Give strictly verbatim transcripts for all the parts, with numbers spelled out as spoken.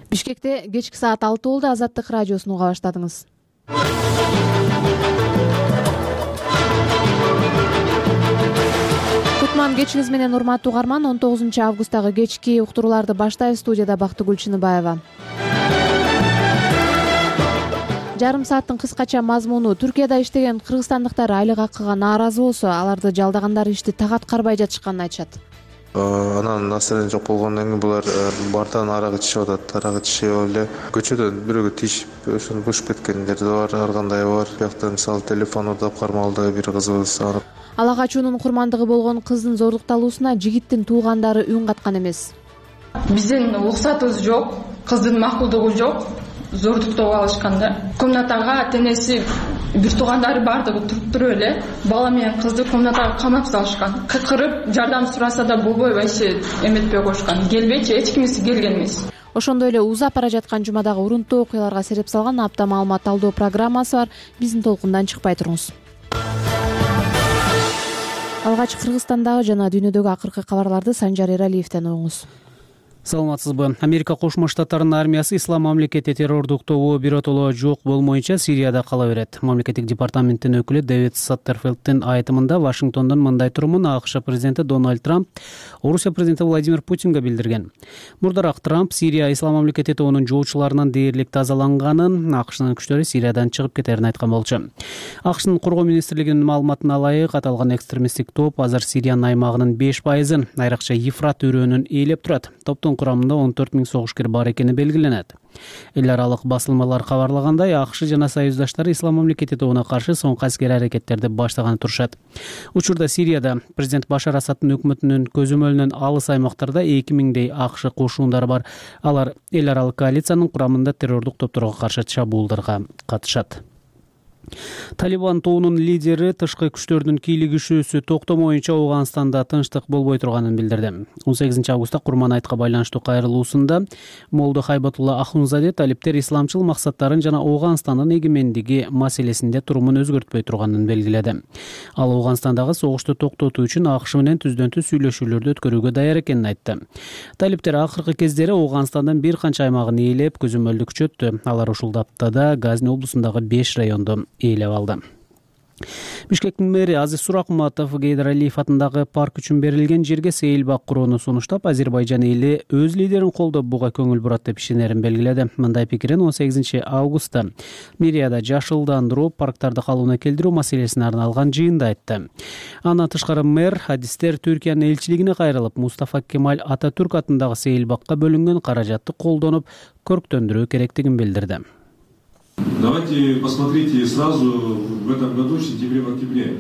Бишкекте кечки саат алты болду. Азаттык радиосун уга баштадыңыз. Кутман кечиңиз менен, урматтуу угарман. он тогузунчу августтагы кечки уктурууларды баштайбыз. Студияда Бактыгүл Чыныбаева. Жарым сааттын кыскача мазмуну: Түркияда иштеген кыргызстандыктар айлык акыга нааразы болсо, аларды жалдагандар ишти так аткарбай жатышканын айтышат. Анан настроение жок болгондон кийин булар бартан арак ичишип атат. Арак ичип эле көчөдөн бирөөгө тиешип ошону бушуп кеткендер да бар, ар кандай бар. Биякта мисалы телефон урдап кармалды бир кызыбыз. Ала качуунун курмандыгы болгон кыздын зордукталуусуна жигиттин туугандары үн каткан эмес. Биздин уруксатыбыз жок, кыздын макулдугу жок, зордуктоп алышкан да. Комнатага тенеси бир туугандары бардыгы туруп туруп эле бала менен кызды комнатага камап салышкан. Кыткырып жардам сураса да болбой вообще эметпей коюшкан. Келбейчи, эч кимиси келген эмес. Ошондой эле узап бара жаткан жумадагы урунттуу окуяларга сереп салган апта маалымат талдоо программасы бар. Биздин толкундан чыкпай туруңуз. Алгач Кыргызстандагы жана дүйнөдөгү акыркы кабарларды Санжар Эралиевден угуңуз. Саламатсызбы? Америка Кошмо Штаттарынын армиясы ислам мамлекети террордуктоо биротоло жок болмоюнча Сирияда кала берет. Мамлекеттик департаменттин өкүлү Дэвид Саттерфилдтин айтымында Вашингтондун мындай турумун АКШ президенти Дональд Трамп Орусия президенти Владимир Путинге билдирген. Мурдараак Трамп Сирия ислам мамлекети тобунун жоочуларынан дээрлик тазаланганын, АКШнын күчтөрү Сириядан чыгып кетерин айткан болчу. АКШнын коргоо министрлигинин маалыматына ылайык, аталган экстремисттик топ азыр Сириянын аймагынын беш пайызын, айрыкча Ефрат өрөөнүн ээлеп турат. Топтун курамында он төрт миң согушкер бар экени белгиленет. Эл аралык басылмалар кабарлагандай, АКШ жана союздаштары ислам мамлекети тобуна каршы соңку аскери аракеттерди баштаганы турушат. Учурда Сирияда президент Башар Асадтын өкмөтүнүн көзөмөлүнөн алыс аймактарда эки миңдей АКШ кошуундары бар. Алар эл аралык коалициянын курамында террордук топторго каршы чабуулдарга катышат. Талибан тобунун лидери тышкы күчтөрдүн кийлигишүүсү токтомоюнча Ауганстанда тынчтык болбой турганын билдирди. он сегизинчи августта Курман айтка байланыштуу кайрылуусунда Молду Хайбатулла Ахунзаде талиптер исламчыл максаттарын жана Ауганстандын эгемендиги маселесинде турумун өзгөртпөй турганын белгиледи. Ал Ауганстандагы согушту токтотуу үчүн АКШ менен түздөн түз сүйлөшүүлөрдү өткөрүүгө даяр экенин айтты. Талиптер акыркы кездери Ауганстандын бир канча аймагын ээлеп, көзөмөлдү күчөттү. Алар ушул аптада Газни облусундагы беш районду ээлеп алды. Бишкектин мэри Азиз Суракматов Гейдар Алиев атындагы парк үчүн берилген жерге сейилбак курууну сунуштап, Азербайжан эли өз лидерин колдоп буга көңүл бурат деп ишенерин белгиледи. Мындай пикирин он сегизинчи августта мэрияда жашылдандыруу, парктарды калыбына келтирүү маселесине арналган жыйында айтты. Андан тышкары мэр хадистер Түркиянын элчилигине кайрылып, Мустафа Кемаль Ататүрк атындагы сейилбакка бөлүнгөн каражатты колдонуп, көрктөндүрүү керектигин билдирди. Давайте посмотрите сразу в этом году, в сентябре, в октябре.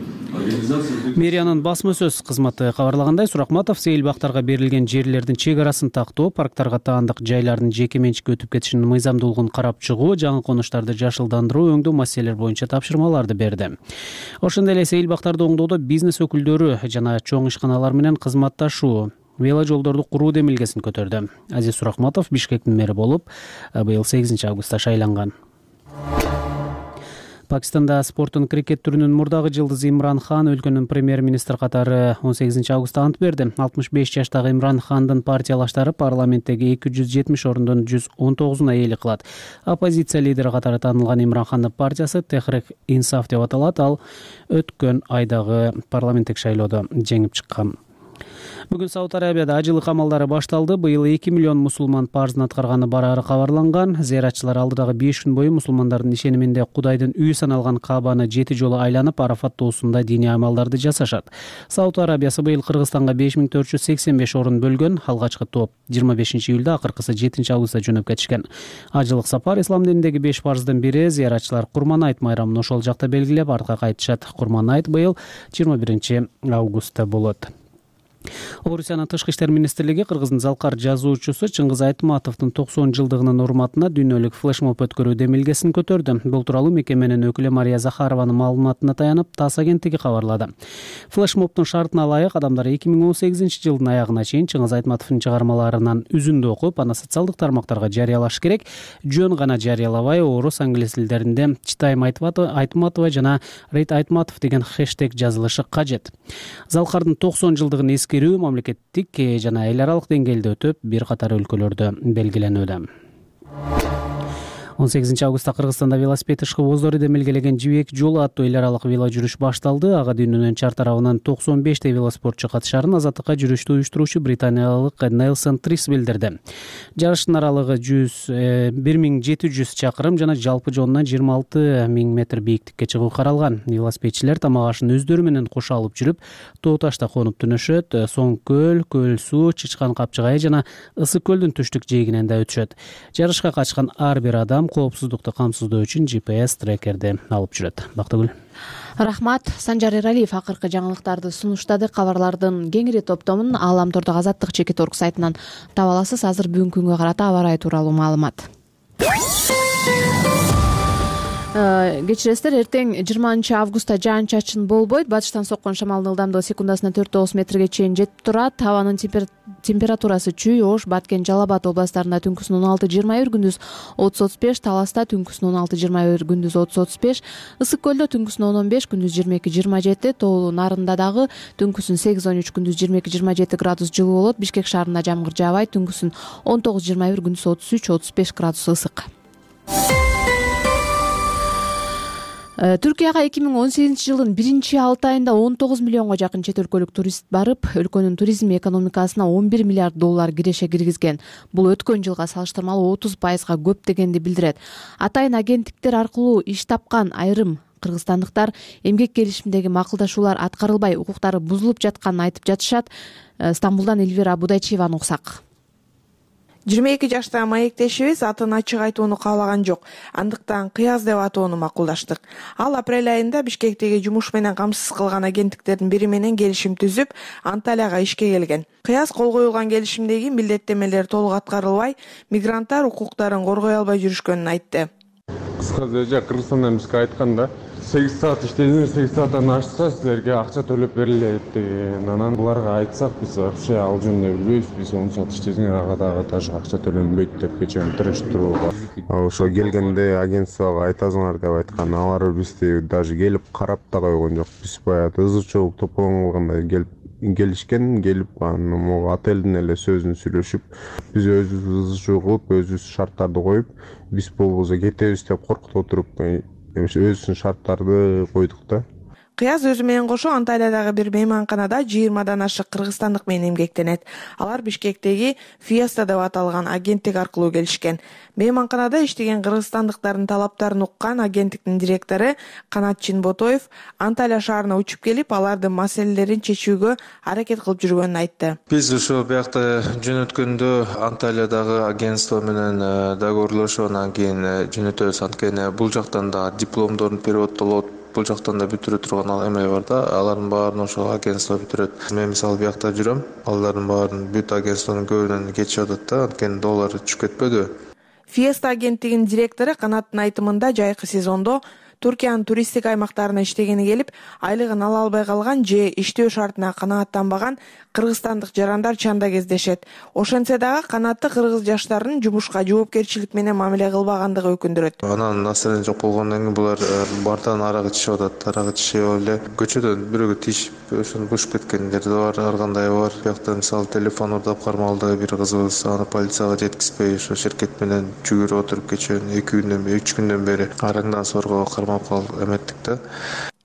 Мэриянын басма сөз кызматы кабарлагандай, Суракматов сейилбактарга берилген жерлердин чек арасын тактоо, парктарга таандык жайлардын жеке менчикке өтүп кетишинин мыйзамдуулугун карап чыгуу, жаңы конуштарды жашылдандыруу өңдүү маселелер боюнча тапшырмаларды берди. Ошондой эле сейилбактарды оңдоодо бизнес өкүлдөрү жана чоң ишканалар менен кызматташуу, вело жолдорду куруу демилгесин көтөрдү. Азиз Суракматов Бишкектин мэри болуп быйыл сегизинчи августта шайланган. Пакистанда спорттун крикет түрүнүн мурдагы жылдызы Имран Хан өлкөнүн премьер-министр катары он сегизинчи августта ант берди. алтымыш беш жаштагы Имран Хандын партиялаштары парламенттеги эки жүз жетимиш ордундун жүз он тогузуна ээлик кылат. Оппозиция лидери катары таанылган Имран Хандын партиясы Техрик Инсаф деп аталат. Ал өткөн айдагы парламенттик шайлоодо жеңип чыккан. Бүгүн Сауд Арабияда ажылык амалдары башталды. Быйыл эки миллион мусулман парзын аткарганы барары кабарланган. Зыяратчылар алдыдагы беш күн бою мусулмандардын ишениминде Кудайдын үйү саналган Каабаны жети жолу айланып, Арафат тоосунда диний амалдарды жасашат. Сауд Арабиясы быйыл Кыргызстанга беш миң төрт жүз сексен беш орун бөлгөн. Алгачкы топ жыйырма бешинчи июлда, акыркысы жетинчи августта жөнөп кетишкен. Ажылык сапар ислам динидеги беш парздын бири. Зыяратчылар Курман айт майрамын ошол жакта белгилеп, артка кайтышат. Курман айт быйыл жыйырма биринчи августта болот. Орусиянын тышкы иштер министрлиги Кыргыздын залкар жазуучусу Чыңгыз Айтматовдун токсон жылдыгынын урматына дүйнөлүк флешмоб өткөрүү демилгесин көтөрдү. Бул тууралуу мекеменин өкүлү Мария Захарованын маалыматына таянып, ТАСС агенттиги кабарлады. Флешмобдун шартына ылайык адамдар эки миң он сегизинчи жылдын аягына чейин Чыңгыз Айтматовдун чыгармаларынан үзүндү окуп, аны социалдык тармактарга жарыялаш керек. Жөн гана жарыялабай, орус, англис тилдеринде Читайм Айтматова жана Рейт Айтматов деген хэштег жазылышы кажет. Залкардын токсон жылдыгын эскерүү мамлекеттик жана эл аралык деңгээлде өтүп, бир катар өлкөлөрдө белгиленүүдө. он сегизинчи августта Кыргызстанда велосипед ышкыбоздору демелгелеген Жибек жолу аттуу эл аралык вело жүрүш башталды. Ага дүйнөнүн чар тарабынан токсон бештей велоспортчу катышарын азаттыкка жүрүштү уюштуруучу британиялык Нельсон Трис билдирди. Жарыштын аралыгы бир миң жети жүз чакырым жана жалпы жонунан жыйырма алты миң метр бийиктикке чыгуу каралган. Велосипедчилер тамак ашын өздөрү менен кошо алып жүрүп, тоо ташта конуп түнөшөт. Соң көл, көл суу, Чычкан капчыгайы жана Ысык көлдүн түштүк жээгинен да өтүшөт. Жарышка катышкан ар бир адам коопсуздукту камсыздоо үчүн Джи Пи Эс трекерди алып жүрөт. Бактыгүл. Рахмат. Санжар Эралиев акыркы жаңылыктарды сунуштады. Кабарлардын кеңири топтомун Ааламтордук Азаттык чекит орг сайтынан таба аласыз. Азыр бүгүнкү күнгө карата аба ырайы тууралуу маалымат. Кечиресиздер, эртең жыйырманчы августта жаан чачын болбойт. Батыштан соккон шамалдын ылдамдыгы секундасына төрт тогуз метрге чейин жетип турат. Абанын температурасы чүй, Ош, Баткен, Жалал Абад областарында түнкүсүн он алты жыйырма бир, күндүз отуз отуз беш, Таласта түнкүсүн он алты жыйырма бир, күндүз отуз отуз беш, Ысык көлдө түнкүсүн он он беш, күндүз жыйырма эки жыйырма жети, Тоолуу Нарында дагы түнкүсүн сегиз он үч, күндүз жыйырма эки жыйырма жети градус жылуу болот. Бишкек шаарында жамгыр жаабайт, түнкүсүн он тогуз жыйырма бир, күндүз отуз үч отуз беш градус ысык. Түркияга эки миң он сегизинчи жылдын биринчи алты айында он тогуз миллионго жакын чет өлкөлүк турист барып, өлкөнүн туризм экономикасына он бир миллиард доллар киреше киргизген. Бул өткөн жылга салыштырмалуу отуз пайызга көп дегенди билдирет. Атайын агенттиктер аркылуу иш тапкан айрым кыргызстандыктар эмгек келишиминдеги макулдашуулар аткарылбай, укуктары бузулуп жатканын айтып жатышат. Стамбулдан Эльвира Будайчиеваны уксак. жыйырма эки жаштагы маектешибиз атын ачык айтууну каалаган жок. Андыктан Кыяз деп атоону макулдаштык. Ал апрель айында Бишкектеги жумуш менен камсыз кылган агенттиктердин бири менен келишим түзүп, Анталияга ишке келген. Кыяз кол коюлган келишимдеги милдеттемелер толук аткарылбай, мигранттар укуктарын коргой албай жүрүшкөнүн айтты. Кыскасы Кыргызстандан бизге айтканда сегиз саат иштедиңер, сегиз сааттан ашса силерге акча төлөп берилет деген. Анан буларга айтсак, биз вообще ал жөнүндө билбейбиз. Биз он саат иштесең ага дагы даже акча төлөнбөйт деп кечен тирештирүүгө. Ошо келгенде агентствого айтасыңар деп айткан. Алар бизди даже келип карап да койгон жок. Биз баягы ызы чогук топлон кылгандай келип келишкен, келип анан могу отелдин эле сөзүн сүйлөшүп, биз өзүбүз ызы чогуп, өзүбүз шарттарды коюп, биз болбосо кетебиз деп коркутуп отуруп, өзүнүн шарттарды койдук да. Кыяз өзү менен кошо Анталиядагы бир мейманканада жыйырмадан ашык кыргызстандык менен эмгектенет. Алар Бишкектеги Fiesta деп аталган агенттик аркылуу келишкен. Мейманканада иштеген кыргызстандыктардын талаптарын уккан агенттиктин директору Канат Чинботоев Анталия шаарына учуп келип, алардын маселелерин чечүүгө аракет кылып жүргөнүн айтты. Биз ошо биякта жөнөткөндө Анталиядагы агентство менен договорлошуп, анан кийин жөнөтөбүз. Анткени бул жактан да дипломдорун переводдолот, бул жактан да бүтүрө турган ал эме бар да, алардын баарын ошо агентство бүтүрөт. Мен мисалы биякта жүрөм, алардын баарын бүт агентствонун көбүнөн кетишип атат да, анткени доллар түшүп кетпөдү. Fiesta агенттигинин директору Канаттын айтымында жайкы сезондо Туркиянын туристтик аймактарына иштегени келип, айлыгын ала албай калган же иштөө шартына канааттанбаган кыргызстандык жарандар чанда кездешет. Ошентсе дагы канатты кыргыз жаштарынын жумушка жоопкерчилик менен мамиле кылбагандыгы өкүндүрөт. Анан настроение жок болгондон кийин булар бартан арак ичип атат, арак ичип эле көчөдөн бирөөгө тийишип, ошону бушуп кеткендер да бар, ар кандай бар. Биякта мисалы телефон урдап кармалды бир кызыбыз, аны полицияга жеткизбей ошо шеркет менен жүгүрүп отуруп кечөөнү эки күндөн бери, үч күндөн бери араңдан сорго эметтик да.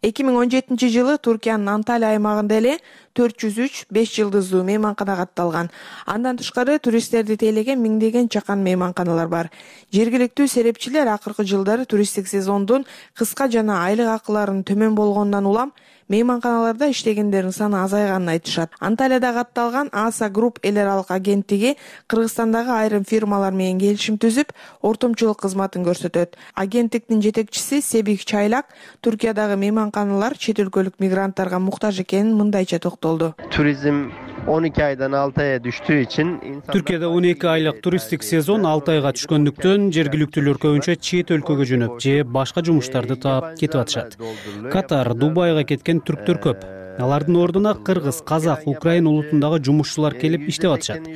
эки миң он жетинчи жылы Туркиянын Анталия аймагында эле төрт жүз үч беш жылдыздуу мейманкана катталган. Андан тышкары туристтерди тейлеген миңдеген чакан мейманканалар бар. Жергиликтүү серепчилер акыркы жылдары туристтик сезондун кыска жана айлык акыларынын төмөн болгонунан улам мейманканаларда иштегендердин саны азайганын айтышат. Анталияда катталган Аса Групп эл аралык агенттиги Кыргызстандагы айрым фирмалар менен келишим түзүп, ортомчулук кызматын көрсөтөт. Агенттиктин жетекчиси Себик Чайлак Туркиядагы мейманканалар чет өлкөлүк мигранттарга муктаж экенин мындайча токтолду. Туризм он эки айдан алты айга түштүү үчүн Түркияда он эки айлык туристтик сезон алты айга түшкөндүктөн жергиликтүүлөр көбүнчө чет өлкөгө жөнөп же башка жумуштарды таап кетип атышат. Катар, Дубайга кеткен түрктөр көп. Алардын ордуна кыргыз, казак, украин улутундагы жумушчулар келип иштеп атышат.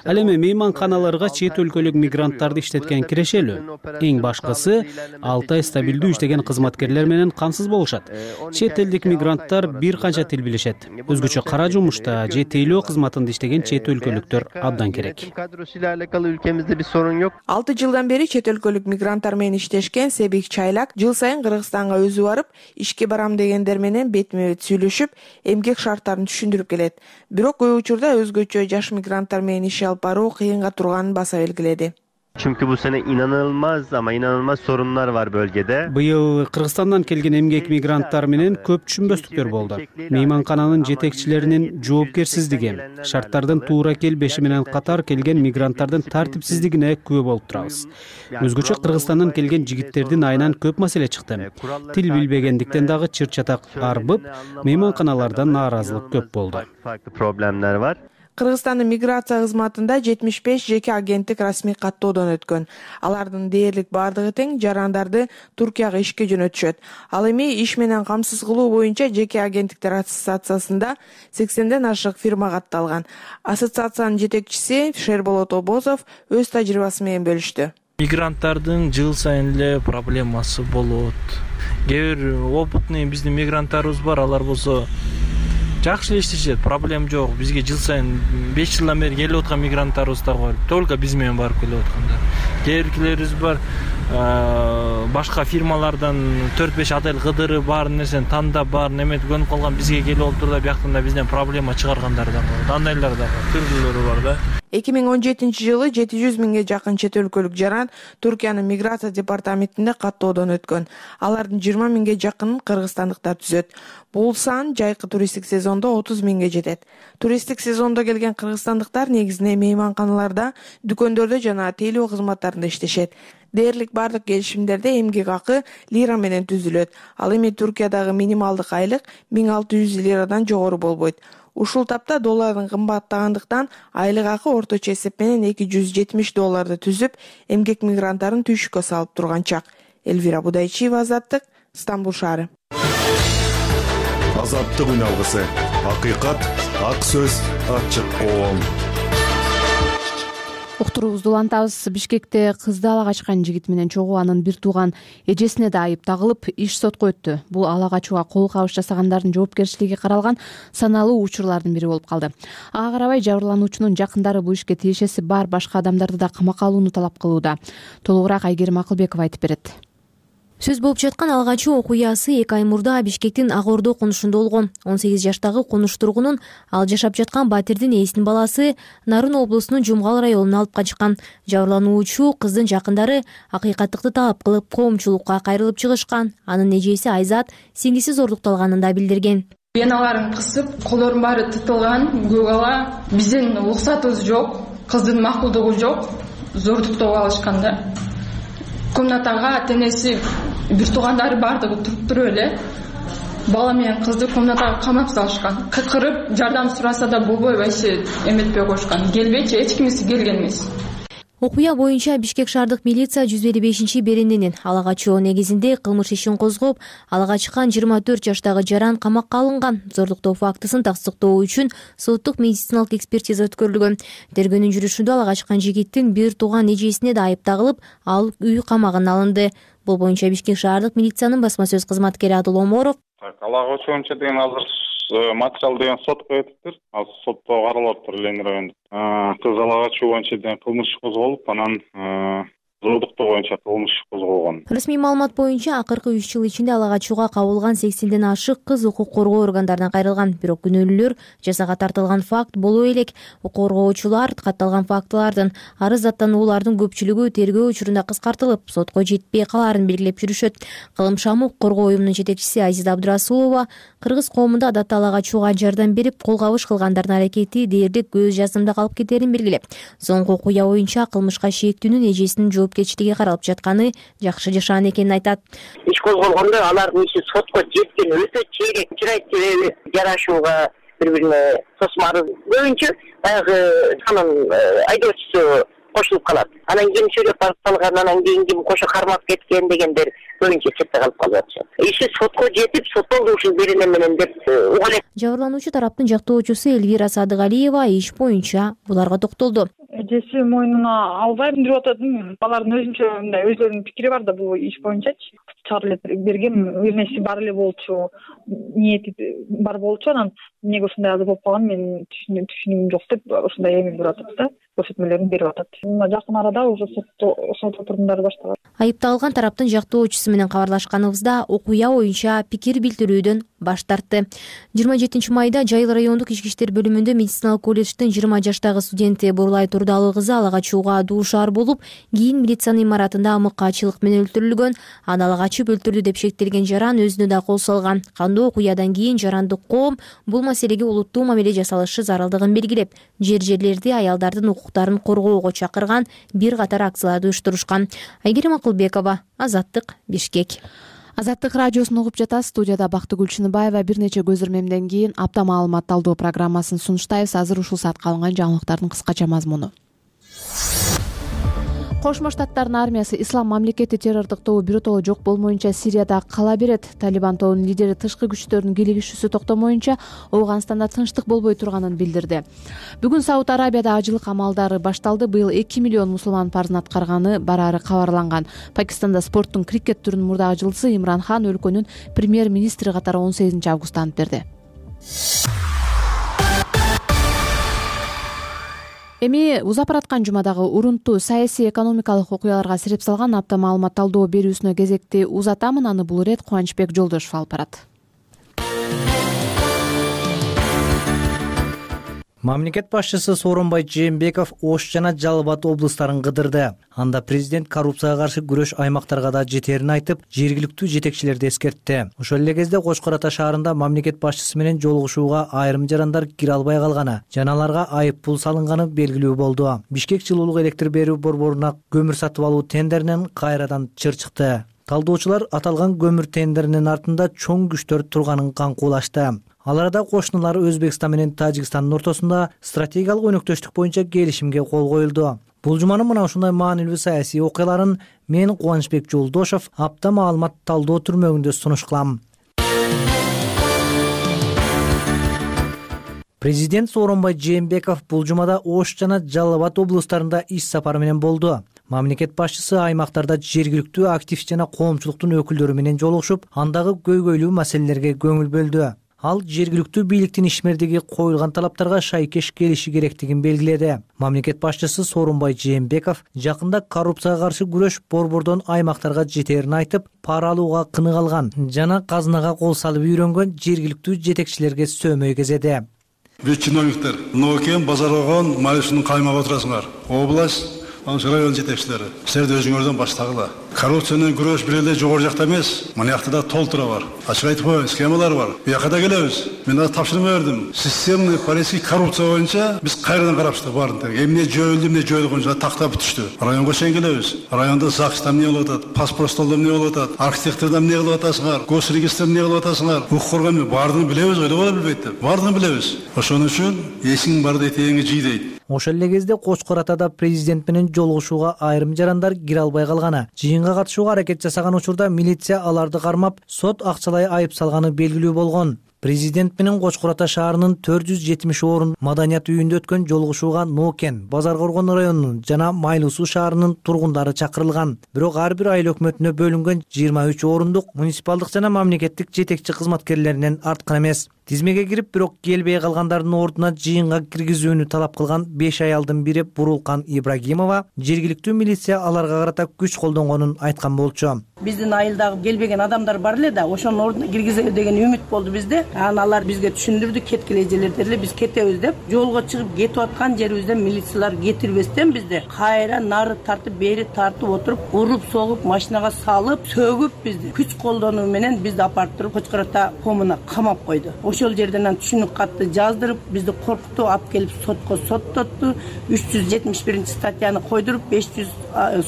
Ал эми мейманканаларга чет өлкөлүк мигранттарды иштеткен кирешелүү. Эң башкысы алты ай стабилдүү иштеген кызматкерлер менен камсыз болушат. Чет элдик мигранттар бир канча тил билишет. Өзгөчө кара жумушта же тейлөө кызматында иштеген чет өлкөлүктөр абдан керек. алты жылдан бери чет өлкөлүк мигранттар менен иштешкен Себик Чайлак жыл сайын Кыргызстанга өзү барып, ишке барам дегендер менен бетме бет сүйлөшүп, эмгек шарттарын түшүндүрүп келет. Бирок көп учурда өзгөчө жаш мигранттар менен иш алып баруу кыйынга турганын баса белгиледи. Çünkü bu sene inanılmaz ama inanılmaz sorunlar var bölgede. Быйыл Кыргызстандан келген эмгек мигранттар менен көп түшүнбөстүктөр болду. Мейманкананын жетекчилеринин жоопкерсиздиги, шарттардын туура келбеши менен катар келген мигранттардын тартипсиздигине күбө болуп турабыз. Өзгөчө Кыргызстандан келген жигиттердин айынан көп маселе чыкты. Тил билбегендиктен дагы чыр-чатак арбып, мейманканалардан нааразылык көп болду. Farklı problemler var. Кыргызстандын миграция кызматында жетимиш беш жеке агенттик расмий каттоодон өткөн. Алардын дээрлик бардыгы тең жарандарды Туркияга ишке жөнөтүшөт. Ал эми иш менен камсыз кылуу боюнча жеке агенттиктер ассоциациясында сексенден ашык фирма катталган. Ассоциациянын жетекчиси Шерболот Обозов өз тажрыйбасы менен бөлүштү. Мигранттардын жыл сайын эле проблемасы болот. Кээ бир опытный биздин мигранттарыбыз бар, алар болсо жакшы эле иштешет, проблем жок. Бизге жыл сайын беш жылдан бери келип аткан мигранттарыбыз да бар. Только биз менен барып келип аткандар. Кээ биркилерибиз бар, башка фирмалардан төрт беш отель кыдырып бар нерсени тандап бар неметип көнүп калган, бизге келип олтур да бияктан да бизден проблема чыгаргандар да бар. Андайлар да бар, түрлөрү бар да. эки миң он жетинчи жылы жети жүз миңге жакын чет өлкөлүк жаран Туркиянын миграция департаментинде каттоодон өткөн. Алардын жыйырма миңге жакынын кыргызстандыктар түзөт. Бул сан жайкы туристтик сезондо отуз миңге жетет. Туристтик сезондо келген кыргызстандыктар негизинен мейманканаларда, дүкөндөрдө жана тейлөө кызматтарында иштешет. Дээрлик бардык келишимдерде эмгек акы лира менен түзүлөт. Ал эми Туркиядагы минималдык айлык миң алты жүз лирадан жогору болбойт. Ушул тапта доллардын кымбаттагандыктан айлык акы орточо эсеп менен эки жүз жетимиш долларды түзүп, эмгек мигранттарын түйшүккө салып турган чак. Элвира Будайчиева, Азаттык, Стамбул шаары. Азаттык үн алгысы. Акыйкат, ак сөз, ачык коом. Уктуруубузду улантабыз. Бишкекте кызды ала качкан жигит менен чогуу анын бир тууган эжесине да айып тагылып, иш сотко өттү. Бул ала качууга кол кабыш жасагандардын жоопкерчилиги каралган саналуу учурлардын бири болуп калды. Ага карабай жабырлануучунун жакындары бул ишке тиешеси бар башка адамдарды да камакка алууну талап кылууда. Толугураак Айгерим Акылбекова айтып берет. Сөз болуп жаткан ала качуу окуясы эки ай мурда Бишкектин Ак Ордо конушунда болгон. он сегиз жаштагы конуш тургунун ал жашап жаткан батирдин ээсинин баласы Нарын облусунун Жумгал районуна алып качкан. Жабырлануучу кыздын жакындары акыйкаттыкты талап кылып коомчулукка кайрылып чыгышкан. Анын эжеси Айзат сиңдиси зордукталганын да билдирген. Веналарын кысып, колдорун баары тытылган, көк ала. Биздин уруксатыбыз жок, кыздын макулдугу жок, зордуктоп алышкан да. Комнатага тенеси бир туугандары бардыгы туруп эле бала менен кызды комнатага камап салышкан. Кыкырып жардам сураса да болбой вообще эметпей коюшкан. Келбечи, эч кимиси келген эмес. Окуя боюнча Бишкек шаардык милиция жүз элүү бешинчи берененин ала качуу негизинде кылмыш ишин козгоп, ала качкан жыйырма төрт жаштагы жаран камакка алынган. Зордуктоо фактысын тастыктоо үчүн соттук медициналык экспертиза өткөрүлгөн. Тергөөнүн жүрүшүндө ала качкан жигиттин бир тууган эжесине да айып тагылып, ал үй камагына алынды. Бул боюнча Бишкек шаардык милициянын басма сөз кызматкери Адыл Оморов. Ала качуу боюнча деген азыр материал деген сотко өтүптүр. Азыр сотто каралып атыптыр Ленин районунда. Кыз ала качуу боюнча деген кылмыш козголуп, анан зордуктоо боюнча кылмыш козголгон. Расмий маалымат боюнча акыркы үч жыл ичинде ала качууга кабылган сексенден ашык кыз укук коргоо органдарынан кайрылган. Бирок күнөөлүүлөр жазага тартылган факт боло элек. Укук коргоочулар катталган фактылардын арыз аттануулардын көпчүлүгү тергөө учурунда кыскартылып, сотко жетпей калаарын белгилеп жүрүшөт. Кылым шамы укук коргоо уюмунун жетекчиси Азиза Абдырасулова кыргыз коомунда адатта ала качууга жардам берип, кол кабыш кылгандардын аракети дээрлик көз жазымда калып кетерин белгилеп, соңку окуя боюнча кылмышка шектүүнүн эжесинин жоопкерчилиги каралып жатканы жакшы жашаан экенин айтат. Иш козголгондо алардын иши сотко жеткен өтө чейрек чырайт себеби жарашууга бири-бирине тосмары боюнча баягы анын айдоочусу кошулуп калат. Анан ким сүйлөп барып салган, анан кийин ким кошо кармап кеткен дегендер көбүнчө четте калып калып атышат. Иши сотко жетип, соттолду ушул берене менен деп уга элек. Жабырлануучу тараптын жактоочусу Элвира Садыгалиева иш боюнча буларга токтолду. Эжеси мойнуна албайм деп атат. Балардын өзүнчө мындай өзлөрүнүн пикири бар да бул иш боюнчачы. Чыгарып эле берген, өзүнө бар эле болчу, ниети бар болчу, анан эмнеге ушундай азыр болуп калган мен түшүнүгүм жок деп ушундай эми берип атат да, көрсөтмөлөрүн берип атат. Мына жакын арада уже сот отурумдары башталат. Айыпталган тараптын жактоочусу менен кабарлашканыбызда окуя боюнча пикир билдирүүдөн баш тартты. жыйырма жетинчи майда Жайыл райондук ички иштер бөлүмүндө медициналык колледждин жыйырма жаштагы студенти Бурлай Турдалы кызы ала качууга дуушар болуп, кийин милициянын имаратында мыкаачылык менен өлтүрүлгөн. Аны ала качып өлтүрдү деп шектелген жаран өзүнө да кол салган. Кандуу окуядан кийин жарандык коом бул маселеге олуттуу мамиле жасалышы зарылдыгын белгилеп, жер жерлерди аялдардын укуктарын коргоого чакырган бир катар акцияларды уюштурушкан. Айгерим Акылбекова, Азаттык, Бишкек. Азаттык радиосун угуп жатасыз. Студияда Бактыгүл Чыныбаева. Бир нече көз ирмемден кийин апта маалымат талдоо программасын сунуштайбыз. Азыр ушул саатка алынган жаңылыктардын кыскача мазмуну. Кошмо Штаттардын армиясы Ислам мамлекети террордук тобу биротоло жок болмоюнча Сирияда кала берет. Талибан тобунун лидери тышкы күчтөрдүн кийлигишүүсү токтомоюнча Ооганстанда тынчтык болбой турганын билдирди. Бүгүн Сауд Арабияда ажылык амалдары башталды. Быйыл эки миллион мусулман парзын аткарганы барары кабарланган. Пакистанда спорттун крикет түрүнүн мурдагы жылдысы Имран Хан өлкөнүн премьер-министри катары он сегизинчи августта ант берди. Эми узап бараткан жумадагы урунтуу саясий экономикалык окуяларга сирип салган апта маалымат талдоо берүүсүнө кезекти узатамын. Аны бул ирет Кубанычбек Жолдошов алып барат. Мамлекет башчысы Сооронбай Жээнбеков Ош жана Жалал Абад облустарын кыдырды. Анда президент коррупцияга каршы күрөш аймактарга да жетерин айтып, жергиликтүү жетекчилерди эскертти. Ошол эле кезде Кошкор Ата шаарында мамлекет башчысы менен жолугушууга айрым жарандар кире албай калганы, жана аларга айып пул салынганы белгилүү болду. Бишкек жылуулук электр берүү борборуна көмүр сатып алуу тендеринен кайрадан чыр чыкты. Талдоочулар аталган көмүр тендеринин артында чоң күчтөр турганын каңкуулашты. Ал арада кошуналар Өзбекстан менен Тажикстандын ортосунда стратегиялык өнөктөштүк боюнча келишимге кол коюлду. Бул жуманын мына ушундай маанилүү саясий окуяларын мен Кубанычбек Жолдошов апта маалымат талдоо түрмөгүндө сунуш кылам. Президент Сооронбай Жээнбеков бул жумада Ош жана Жалал Абад облустарында иш сапары менен болду. Мамлекет башчысы аймактарда жергиликтүү актив жана коомчулуктун өкүлдөрү менен жолугушуп, андагы көйгөйлүү маселелерге көңүл бөлдү. Ал жергиликтүү бийликтин ишмердиги коюлган талаптарга шайкеш келиши керектигин белгиледи. Мамлекет башчысы Сооронбай Жээнбеков жакында коррупцияга каршы күрөш борбордон аймактарга жетерин айтып, пара алууга кынык алган жана казынага кол салып үйрөнгөн жергиликтүү жетекчилерге сөөмөй кезеди. Биз чиновниктер, Нокен, Базарогон, Малишинин каймагында отурасыңар. Область район жетекчилери, силер өзүңөрдөн баштагыла. Коррупция менен күрөш бир эле жогору жакта эмес, мына жакта да толтура бар. Ачык айтып коеюн, схемалар бар. Буяка да келебиз. Мен азыр тапшырма бердим. Системный политический коррупция боюнча биз кайрадан карап чыктык баарын. Эмне жөөлдү, эмне жөөлгөн жана тактап бүтүштү. Районго чейин келебиз. Районда ЗАГСта эмне болуп атат, паспорт столдо эмне болуп атат, архитектордо эмне кылып атасыңар, госрегистрде эмне кылып атасыңар. Укук коргоо баардыгын билебиз, ойлоп эле билбейт деп. Баардыгын билебиз. Ошон үчүн эсиң бар дейт, теңи жий дейт. Ошол эле кезде Кошкор Атада президент менен жолугушууга айрым жарандар кире албай калганы, жыйынга катышууга аракет жасаган учурда милиция аларды кармап, сот акчалай айып салганы белгилүү болгон. Президент менен Кошкор Ата шаарынын төрт жүз жетимиш орун маданият үйүндө өткөн жолугушууга Нокен, Базар Коргон районунун жана Майлуу Суу шаарынын тургундары чакырылган. Бирок ар бир айыл өкмөтүнө бөлүнгөн жыйырма үч орундук муниципалдык жана мамлекеттик жетекчи кызматкерлеринен арткан эмес. Тизмеге кирип, бирок келбей калгандардын ордуна жыйынга киргизүүнү талап кылган беш аялдын бири Бурулкан Ибрагимова жергиликтүү милиция аларга карата күч колдонгонун айткан болчу. Биздин айылдагы келбеген адамдар бар эле да, ошонун ордуна киргизели деген үмүт болду бизде. Анан алар бизге түшүндүрдү, кеткиле эжелер дерле, биз кетебиз деп. Жолго чыгып кетип аткан жерибизден милициялар кетирбестен бизде кайра нары тартып, бери тартып отуруп, уруп, согуп, машинага салып, сөгүп бизди күч колдонуу менен бизди апарып туруп Кочкор Ата комуна камап койду. ошол жерден анан түшүнүк катты жаздырып бизди коркутуп алып келип сотко соттотту. үч жүз жетимиш биринчи статьяны койдуруп беш жүз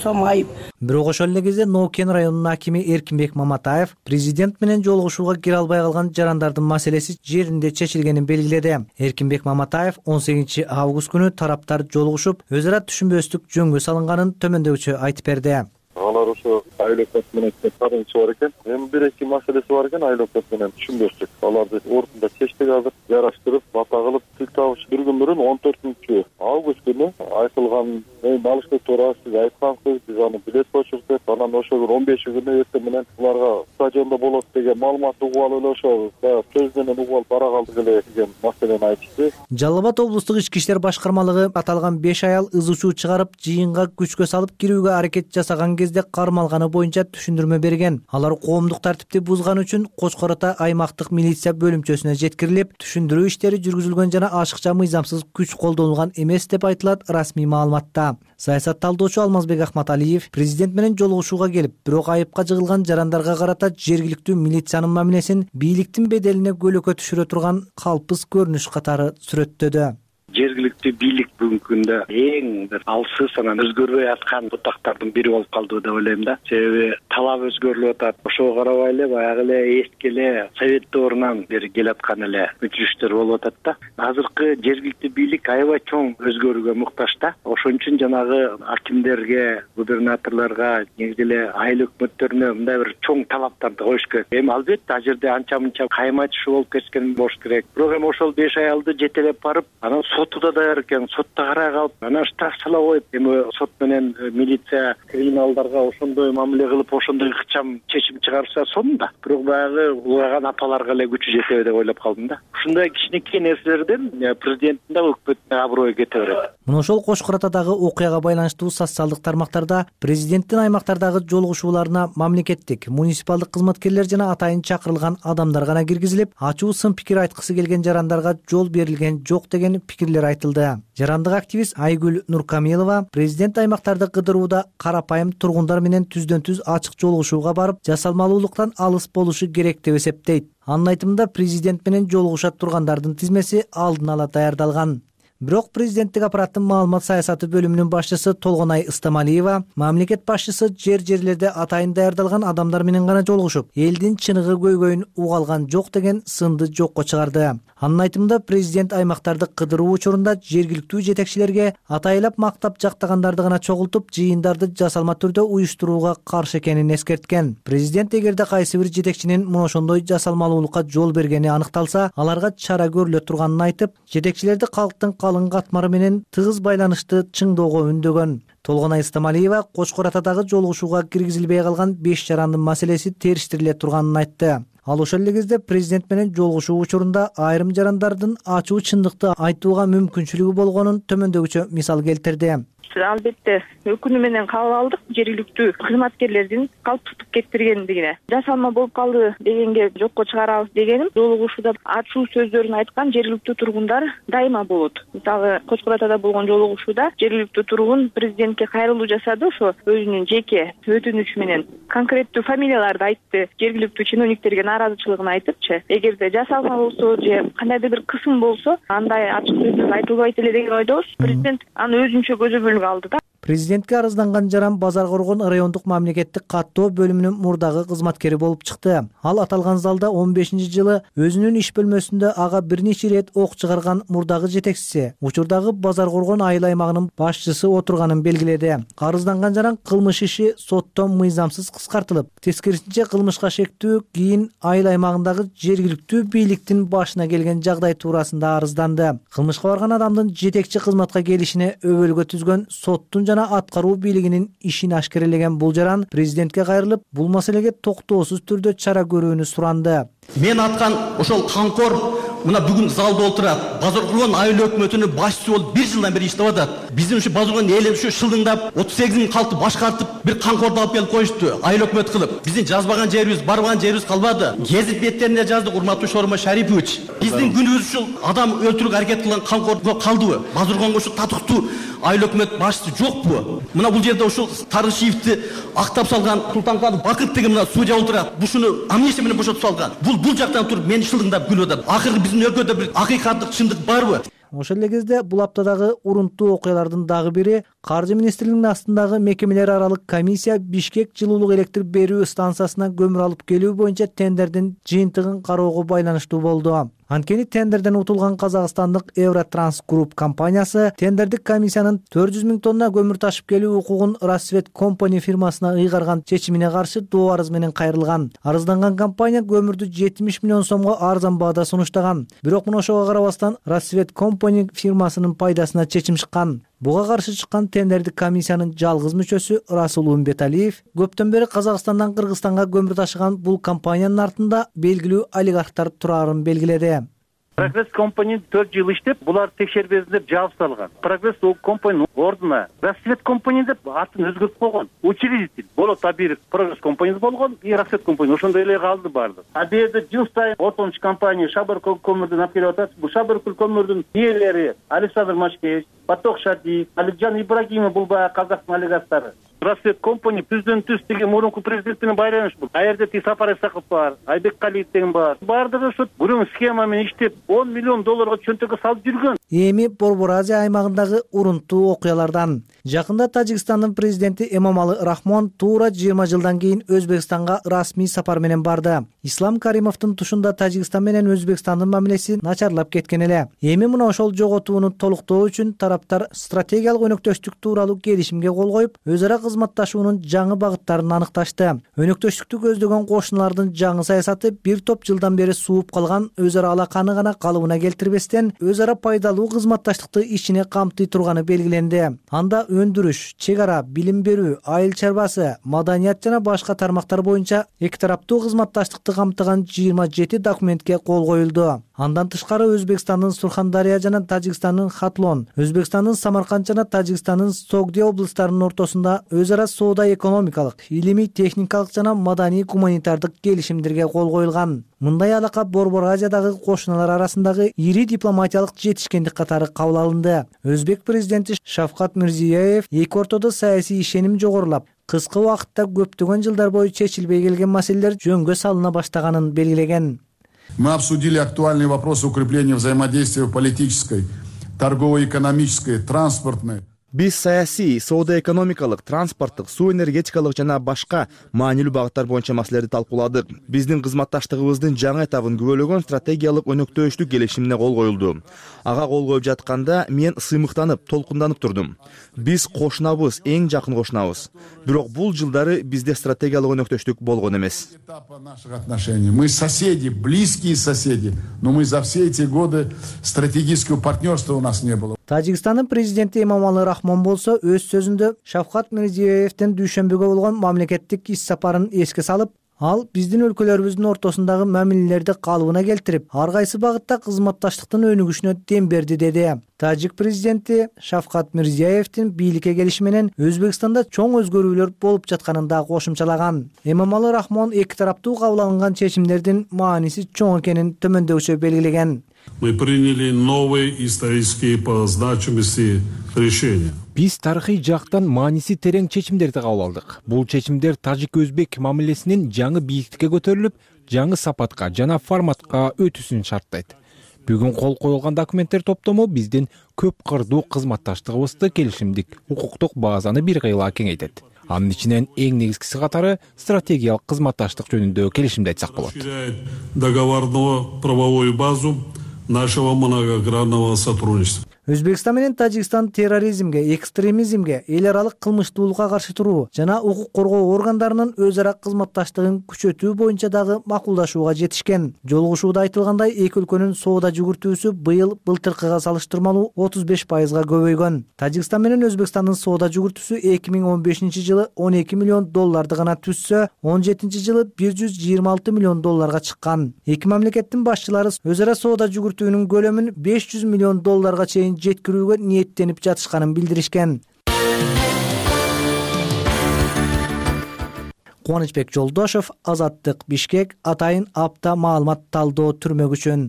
сом айып. Бирок ошол эле кезде Ноокен районунун акими Эркинбек Маматаев президент менен жолугушууга кире албай калган жарандардын маселеси жеринде чечилгенин белгиледи. Эркинбек Маматаев он сегизинчи август күнү тараптар жолугушуп, өз ара түшүнбөстүк жөнгө салынганын төмөндөгүчө айтып берди. Алар ошо айлык менен тарынчы бар экен. Эми бир эки маселеси бар экен айлык менен түшүнбөстүк. Аларды ордунда чечтик азыр, жараштырып, бата кылып тил табыш бир күн мурун он төртүнчү август күнү айтылган алышты туура сиз айткансыз, биз аны билет почурдук. Анан ошол он беши күнү эртең менен буларга стадиондо болот деген маалыматты угуп алып эле ошо сөз менен угуп алып бара калдык эле деген маселени айтышты. Жалал Абад облустук ички иштер башкармалыгы аталган беш аял ыз учуу чыгарып, жыйынга күчкө салып кирүүгө аракет жасаган кезде кармалганы боюнча түшүндүрмө берген. Алар коомдук тартипти бузган үчүн Кочкор Ата аймактык милиция бөлүмчөсүнө жеткирилип, түшүндүрүү иштери жүргүзүлгөн жана ашыкча мыйзамсыз күч колдонулган эмес деп айтылат расмий маалыматта. Саясат талдоочу Алмазбек Ахматалиев президент менен жолугушууга келип, бирок айыпка жыгылган жарандарга карата жергиликтүү милициянын мамилесин бийликтин беделине көлөкө түшүрө турган калпыз көрүнүш катары сүрөттөдү. Жергиликтүү бийлик бүгүнкү күндө эң бир алсыз анан өзгөрбөй аткан бутактардын бири болуп калды деп ойлойм да. Себеби талап өзгөрүлүп атат. Ошого карабай эле баягы эле эски эле совет доорунан бери келаткан эле өчүрүштөр болуп атат да. Азыркы жергиликтүү бийлик аябай чоң өзгөрүүгө муктаж да. Ошон үчүн жанагы акимдерге, губернаторлорго, негизи эле айыл өкмөттөрүнө мындай бир чоң талаптарды коюш керек. Эми албетте ал жерде анча мынча кайма-айтышы болуп кеткен болуш керек. Бирок эми ошол беш аялды жетелеп барып, анан соту да даяр экен, сотто карай калып, анан штраф сала коюп, эми сот менен милиция криминалдарга ошондой мамиле кылып, ошондой ыкчам чечим чыгарса сонун да. Бирок баягы улаган апаларга эле күчү жетеби деп ойлоп калдым да. Ушундай кичинекей нерселерден президенттин да өкмөттүн аброю кете берет. Мына ошол Кочкор Атадагы окуяга байланыштуу социалдык тармактарда президенттин аймактардагы жолугушууларына мамлекеттик, муниципалдык кызматкерлер жана атайын чакырылган адамдар гана киргизилип, ачуу сын пикир айткысы келген жарандарга жол берилген жок деген пикирлер айтылды. Жарандык активист Айгүл Нуркамилова президент аймактарды кыдырууда карапайым тургундар менен түздөн түз ачык жолугушууга барып, жасалмалуулуктан алыс болушу керек деп эсептейт. Анын айтымында президент менен жолугуша тургандардын тизмеси алдын ала даярдалган. Бирок президенттик аппараттын маалымат саясаты бөлүмүнүн башчысы Толгонай Ыстамалиева мамлекет башчысы жер-жерлерде атайын даярдалган адамдар менен гана жолугушуп, элдин чыныгы көйгөйүн уга алган жок деген сынды жокко чыгарды. Анын айтымында президент аймактарды кыдыруу учурунда жергиликтүү жетекчилерге атайлап мактап жактагандарды гана чогултуп, жыйындарды жасалма түрдө уюштурууга каршы экенин эскерткен. Президент эгерде кайсы бир жетекчинин мына ошондой жасалмалуулукка жол бергени аныкталса, аларга чара көрүлө турганын айтып, жетекчилерди калктын калың катмары менен тыгыз байланышты чыңдоого үндөгөн. Толгонай Ыстамалиева Кочкор Атадагы жолугушууга киргизилбей калган беш жарандын маселеси териштириле турганын айтты. Ал ошол эле кезде президент менен жолугушуу учурунда айрым жарандардын ачуу чындыкты айтууга мүмкүнчүлүгү болгонун төмөндөгүчө мисал келтирди. Албетте өкүнүү менен кабыл алдык жергиликтүү кызматкерлердин калптыктык кетиргендигине. Жасалма болуп калды дегенге жокко чыгарабыз дегеним, жолугушууда ачуу сөздөрүн айткан жергиликтүү тургундар дайыма болот. Мисалы Кочкор Атада болгон жолугушууда жергиликтүү тургун президентке кайрылуу жасады, ошо өзүнүн жеке өтүнүчү менен конкреттүү фамилияларды айтты, жергиликтүү чиновниктерге нааразычылыгын айтыпчы. Эгерде жасалма болсо же кандайдыр бир кысым болсо, андай ачык сөздөр айтылбайт эле деген ойдобуз. Президент аны өзүнчө көзөмөлгө алды да. Президентке арызданган жаран Базар Коргон райондук мамлекеттик каттоо бөлүмүнүн мурдагы кызматкери болуп чыкты. Ал аталган залда он бешинчи жылы өзүнүн иш бөлмөсүндө ага бир нече ирет ок чыгарган мурдагы жетекчиси, учурдагы Базар Коргон айыл аймагынын башчысы отурганын белгиледи. Арызданган жаран кылмыш иши соттон мыйзамсыз кыскартылып, тескерисинче кылмышка шектүү кийин айыл аймагындагы жергиликтүү бийликтин башына келген жагдай туурасында арызданды. Кылмышка барган адамдын жетекчи кызматка келишине өбөлгө түзгөн соттун жана аткаруу бийлигинин ишин ашкерелеген бул жаран президентке кайрылып, бул маселеге токтоосуз түрдө чара көрүүнү суранды. Мен аткан ошол канкор мына бүгүн залда отурат. Базар Коргон айыл өкмөтүнүн башчысы болуп бир жылдан бери иштеп атат. Биздин ушу Базар Коргон эли ушу шылдыңдап отуз сегиз миң калкты башкартып, бир канкорду алып келип коюшту. Айыл өкмөт кылып. Биздин жазбаган жерибиз, барбаган жерибиз калбады. Гезит беттеринде жаздык, урматтуу Шорма Шарипович. Биздин күнүбүз ушул адам өлтүрүүгө аракет кылган канкорго калдыбы? Базар Коргонго ушу татыктуу айыл өкмөт башчысы жокпу? Мына бул жерде ушул Тарышевди актап салган Султанкадыр Бакыт деген мына судья отурат. Бушуну амнистия менен бошотуп салган. Бул бул жактан туруп мени шылдыңдап күлүп атат. Акыркы биздин өлкөдө бир акыйкаттык чындык барбы? Ошол эле кезде бул аптадагы урунттуу окуялардын дагы бири Каржы министрлигинин астындагы мекемелер аралык комиссия Бишкек жылуулук электр берүү станциясына көмүр алып келүү боюнча тендердин жыйынтыгын кароого байланыштуу болду. Анткени тендерден утулган казакстандык Евротранс Групп компаниясы тендердик комиссиянын төрт жүз миң тонна көмүр ташып келүү укугун Рассвет Компани фирмасына ыйгарган чечимине каршы доо арыз менен кайрылган. Арызданган компания көмүрдү жетимиш миллион сомго арзан баада сунуштаган. Бирок мына ошого карабастан Рассвет Компани фирмасынын пайдасына чечим чыккан. Буга каршы чыккан тендердик комиссиянын жалгыз мүчөсү Расул Умбеталиев көптөн бери Казакстандан Кыргызстанга көмүр ташыган бул компаниянын артында белгилүү олигархтар турарын белгиледи. Прогресс компания төрт жыл иштеп, булар текшербесин деп жабып салган. Прогресс компаниянын ордуна Рассвет компания деп атын өзгөртүп койгон. Учредитель болот бир Прогресс компаниясы болгон, и Рассвет компания ошондой эле калды баардык. А бу жерде жыл сайын отончу компания Шабаркөл көмүрдүн алып келип атат. Бул Шабаркөл көмүрдүн ээлери Александр Машкевич, Поток Шадиев, Аликжан Ибрагимов бул баягы казактын олигархтары. Рассвет компания түздөн түз деген мурунку президент менен байланыш бул. А жерде Сапар Исаков бар, Айбек Калиев деген бар. Баардыгы ошо бүрүн схема менен иштеп он миллион долларга чөнтөккө салып жүргөн. Эми Борбор Азия аймагындагы урунттуу окуялардан. Жакында Тажикстандын президенти Эмомали Рахмон туура жыйырма жылдан кийин Өзбекстанга расмий сапар менен барды. Ислам Каримовдун тушунда Тажикстан менен Өзбекстандын мамилеси начарлап кеткен эле. Эми мына ошол жоготууну толуктоо үчүн тараптар стратегиялык өнөктөштүк тууралуу келишимге кол коюп, өз ара кызматташуунун жаңы багыттарын аныкташты. Өнөктөштүктү көздөгөн кошуналардын жаңы саясаты бир топ жылдан бери сууп калган өз ара алаканы гана калыбына келтирбестен, өз ара пайдалуу кызматташтыкты ичине камтый турганы белгиленди. Анда өндүрүш, чек ара, билим берүү, айыл чарбасы, маданият жана башка тармактар боюнча эки тараптуу кызматташтыкты камтыган жыйырма жети документке кол коюлду. Андан тышкары Өзбекстандын Сурхандария жана Тажикстандын Хатлон, Өзбекстандын Самарканд жана Тажикстандын Согди облустарынын ортосунда өз ара соода экономикалык, илимий техникалык жана маданий гуманитардык келишимдерге кол коюлган. Мындай алака Борбор Азиядагы кошуналар арасындагы ири дипломатиялык жетишкендик катары кабыл алынды. Өзбек президенти Шавкат Мирзиёев эки ортодо саясий ишеним жогорулап, кыска убакытта көптөгөн жылдар бою чечилбей келген маселелер жөнгө салына баштаганын белгилеген. Мы обсудили актуальные вопросы укрепления взаимодействия в политической, торгово-экономической, транспортной. Биз саясий, соода экономикалык, транспорттук, суу энергетикалык жана башка маанилүү багыттар боюнча маселелерди талкууладык. Биздин кызматташтыгыбыздын жаңы этабын күбөлөгөн стратегиялык өнөктөштүк келишимине кол коюлду. Ага кол коюп жатканда мен сыймыктанып, толкунданып турдум. Биз кошунабыз, эң жакын кошунабыз. Бирок бул жылдары бизде стратегиялык өнөктөштүк болгон эмес. Мы соседи, близкие соседи, но мы за все эти годы стратегического партнерства у нас не было. Тажикстандын президенти Эмомали Рахмон болсо өз сөзүндө Шавкат Мирзиёевдин дүйшөмбүгө болгон мамлекеттик иш сапарын эске салып, ал биздин өлкөлөрүбүздүн ортосундагы мамилелерди калыбына келтирип, ар кайсы багытта кызматташтыктын өнүгүшүнө дем берди деди. Тажик президенти Шавкат Мирзиёевдин бийликке келиши менен Өзбекстанда чоң өзгөрүүлөр болуп жатканын да кошумчалаган. Эмомали Рахмон эки тараптуу кабыл алынган чечимдердин мааниси чоң экенин төмөндөгүчө белгилеген. Мы приняли новые исторические по значимости решения. Биз тарыхый жактан мааниси терең чечимдерди кабыл алдык. Бул чечимдер тажик-өзбек мамилесинин жаңы бийиктикке көтөрүлүп, жаңы сапатка жана форматка өтүүсүн шарттайт. Бүгүн кол коюлган документтер топтому биздин көп кырдуу кызматташтыгыбызды келишимдик укуктук базаны бир кыйла кеңейтет. Анын ичинен эң негизгиси катары стратегиялык кызматташтык жөнүндө келишимди айтсак болот. Договорную правовую базу нашего многогранного сотрудничества. Өзбекстан менен Тажикстан терроризмге, экстремизмге, эл аралык кылмыштуулукка каршы туруу жана укук коргоо органдарынын өз ара кызматташтыгын күчөтүү боюнча дагы макулдашууга жетишкен. Жолугушууда айтылгандай, эки өлкөнүн соода жүгүртүүсү быйыл былтыркыга салыштырмалуу отуз беш пайызга көбөйгөн. Тажикстан менен Өзбекстандын соода жүгүртүүсү эки миң он бешинчи жылы он эки миллион долларды гана түзсө, он жетинчи жылы бир жүз жыйырма алты миллион долларга чыккан. Эки мамлекеттин башчылары өз ара соода жүгүртүүнүн көлөмүн беш жүз миллион долларга чейин жеткирүүгө ниеттенип жатышканын билдиришкен. Кубанычбек Жолдошов, Азаттык, Бишкек, атайын апта маалымат талдоо түрмөк үчүн.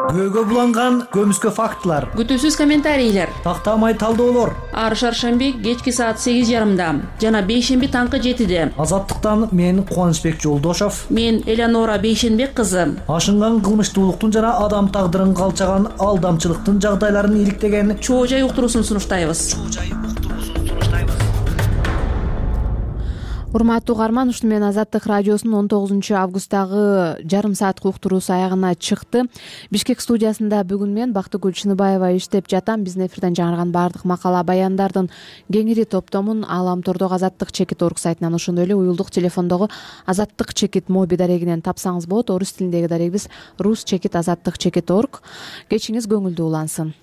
көөгө буланган көмүскө фактылар, күтүүсүз комментарийлер, тактамай талдоолор. ар шаршемби кечки саат сегиз жарымда жана бейшемби таңкы жетиде. Азаттыктан мен Кубанычбек Жолдошов, мен Элеонора Бейшенбек кызы. Ашынган кылмыштуулуктун жана адам тагдырын калчаган алдамчылыктын жагдайларын иликтеген чоо жай уктуруусун сунуштайбыз. Урматтуу угарман, ушуну менен Азаттык радиосунун он тогузунчу августтагы жарым саатка уктуруусу аягына чыкты. Бишкек студиясында бүгүн мен Бактыгүл Чыныбаева иштеп жатам. Биздин эфирден жаңырган баардык макала баяндардын кеңири топтомун Аламтордогу Азаттык чекит орг сайтынан, ошондой эле уюлдук телефондогу Азаттык чекит моби дарегинен тапсаңыз болот. Орус тилиндеги дарегибиз рус чекит азаттык чекит орг. Кечиңиз көңүлдүү улансын.